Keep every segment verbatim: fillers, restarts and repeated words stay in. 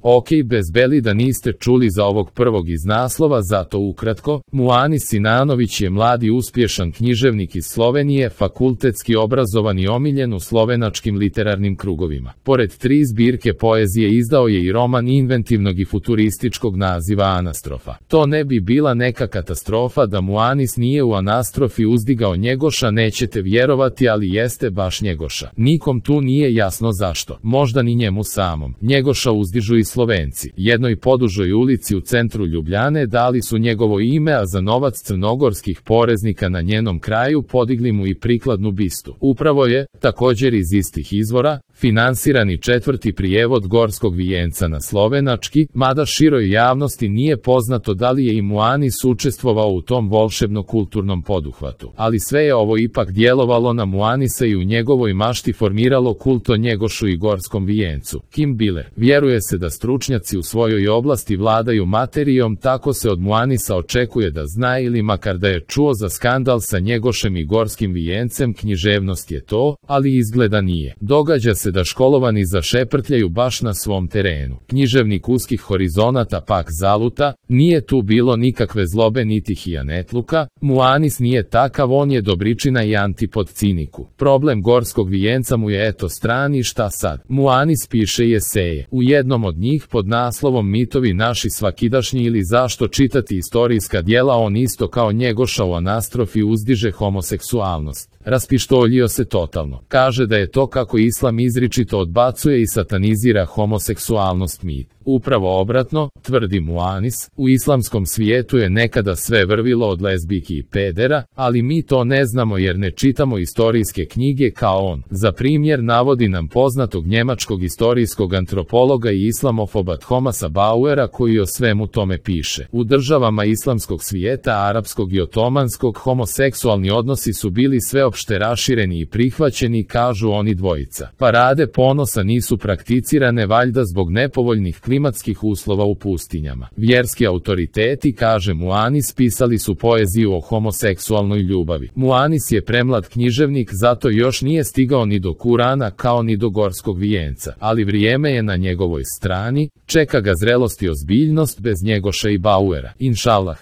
Ok, bez beli da niste čuli za ovog prvog iz naslova, zato ukratko, Muanis Sinanović je mladi uspješan književnik iz Slovenije, fakultetski obrazovan i omiljen u slovenačkim literarnim krugovima. Pored tri zbirke poezije izdao je i roman inventivnog i futurističkog naziva Anastrofa. To ne bi bila neka katastrofa da Muanis nije u Anastrofi uzdigao Njegoša, nećete vjerovati, ali jeste baš Njegoša. Nikom tu nije jasno zašto, možda ni njemu samom. Njegoša uzdižu i Slovenci. Jednoj podužoj ulici u centru Ljubljane dali su njegovo ime, a za novac crnogorskih poreznika na njenom kraju podigli mu i prikladnu bistu. Upravo je, također iz istih izvora, finansirani četvrti prijevod Gorskog vijenca na slovenački, mada široj javnosti nije poznato da li je i Muanis učestvovao u tom volšebno-kulturnom poduhvatu. Ali sve je ovo ipak djelovalo na Muanisa i u njegovoj mašti formiralo kult o Njegošu i Gorskom vijencu. Kim Biller. Vjeruje se da stručnjaci u svojoj oblasti vladaju materijom, tako se od Muanisa očekuje da zna ili makar da je čuo za skandal sa Njegošem i Gorskim vijencem. Književnost je to, ali izgleda nije. Događa se da školovani zašeprtljaju baš na svom terenu. Književnik uskih horizonata pak zaluta, nije tu bilo nikakve zlobe niti hijanetluka, Muanis nije takav, on je dobričina i antipod ciniku. Problem Gorskog vijenca mu je eto strani, šta sad? Muanis piše i eseje. U jednom od njih pod naslovom Mitovi naši svakidašnji ili zašto čitati istorijska djela on isto kao Njegoša u Anastrofi uzdiže homoseksualnost. Raspištoljio se totalno. Kaže da je to kako islam izričito odbacuje i satanizira homoseksualnost mit. Upravo obratno, tvrdi Muanis, u islamskom svijetu je nekada sve vrvilo od lezbijki i pedera, ali mi to ne znamo jer ne čitamo istorijske knjige kao on. Za primjer navodi nam poznatog njemačkog istorijskog antropologa i islamofoba Thomasa Bauera koji o svemu tome piše. U državama islamskog svijeta, arapskog i otomanskog, homoseksualni odnosi su bili sveopšte rašireni i prihvaćeni, kažu oni dvojica. Parade ponosa nisu prakticirane valjda zbog nepovoljnih klimatskih uslova u pustinjama. Vjerski autoriteti, kaže Muanis, pisali su poeziju o homoseksualnoj ljubavi. Muanis je premlad književnik, zato još nije stigao ni do Kurana kao ni do Gorskog vijenca, ali vrijeme je na njegovoj strani, čeka ga zrelost i ozbiljnost bez Njegoša i Bauera. Inšalah.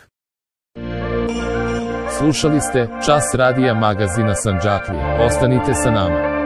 Slušali ste Čas radija magazina Sandžaklija. Ostanite sa nama.